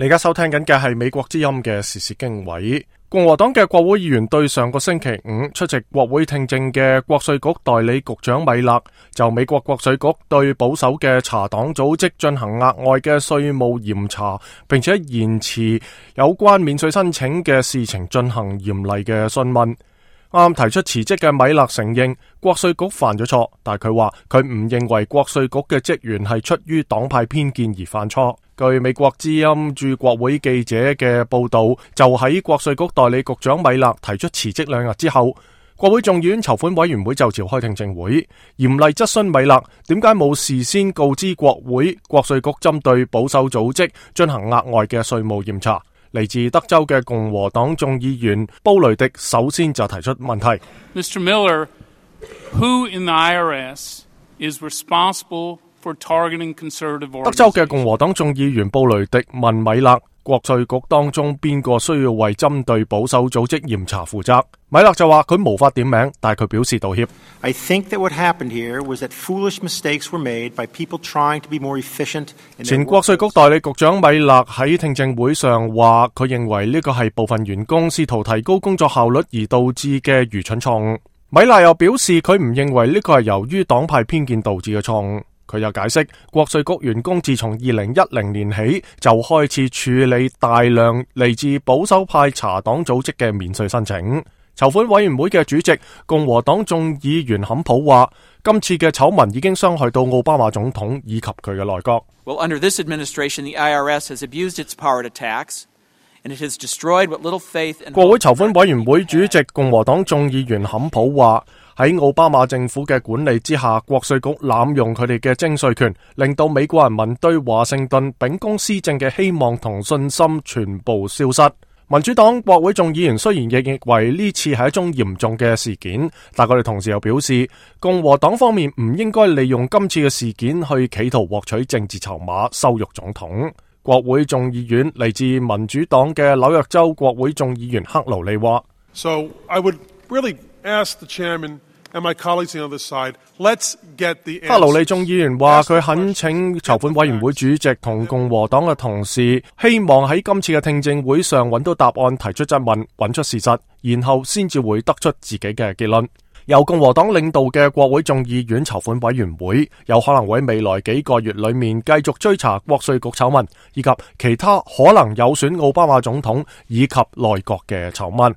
你而家收聽緊嘅係美國之音嘅時事經緯。共和黨嘅國會議員對上個星期五出席國會聽證嘅國稅局代理局長米勒就美國國稅局對保守嘅查黨組織進行額外嘅稅務嚴查，並且延遲有關免稅申請嘅事情進行嚴厲嘅詢問。啱提出辭職嘅米勒承認國稅局犯咗錯，但係佢話佢唔認為國稅局嘅職員係出於黨派偏見而犯錯。據美國之音駐國會記者嘅報道，就喺國稅局代理局長米勒提出辭職2日之後，國會眾議院籌款委員會就召開聽證會，嚴厲質詢米勒點解冇事先告知國會國稅局針對保守組織進行額外嘅稅務嚴查。嚟自德州嘅共和黨眾議員布雷迪首先就提出問題。Mr. Miller, who in the IRS is responsible for targeting conservative organizations? 德州嘅共和黨眾議員布雷迪問米勒，國稅局當中邊個需要為針對保守組織嚴查負責？米勒就話佢無法點名，但係佢表示道歉。I think that what happened here was that foolish mistakes were made by people trying to be more efficient. 前國稅局代理局長米勒喺聽證會上話，佢認為呢個係部分員工試圖提高工作效率而導致嘅愚蠢錯誤。米勒又表示佢唔認為呢個係由於黨派偏見導致嘅錯誤。佢又解釋，國稅局員工自從2010年起就開始處理大量嚟自保守派查黨組織嘅免稅申請。籌款委員會嘅主席共和黨眾議員坎普話，今次嘅醜聞已經傷害到奧巴馬總統以及佢嘅內閣。Well, under this administration, the IRS has abused its power to tax, and it has destroyed what little faith and... 國會籌款委員會主席共和黨眾議員坎普話，喺奧巴馬政府嘅管理之下，國稅局濫用佢哋嘅徵稅權，令到美國人民對華盛頓秉公施政嘅希望同信心全部消失。民主黨國會眾議員雖然亦認為呢次係一宗嚴重嘅事件，但佢哋同時又表示，共和黨方面唔應該利用今次嘅事件去企圖獲取政治籌碼，羞辱總統。國會眾議院嚟自民主黨嘅紐約州國會眾議員克勞利話 So I would really ask the chairman and my colleagues on the other side, let's get the answer. 克勞利眾議員話佢懇請籌款委員會主席同共和黨嘅同事，希望喺今次嘅聽證會上揾到答案，提出質問，揾出事實，然後先至會得出自己嘅結論。由共和黨領導嘅國會眾議院籌款委員會有可能喺未來幾個月裏面繼續追查國稅局醜聞，以及其他可能有損奧巴馬總統以及內閣嘅醜聞。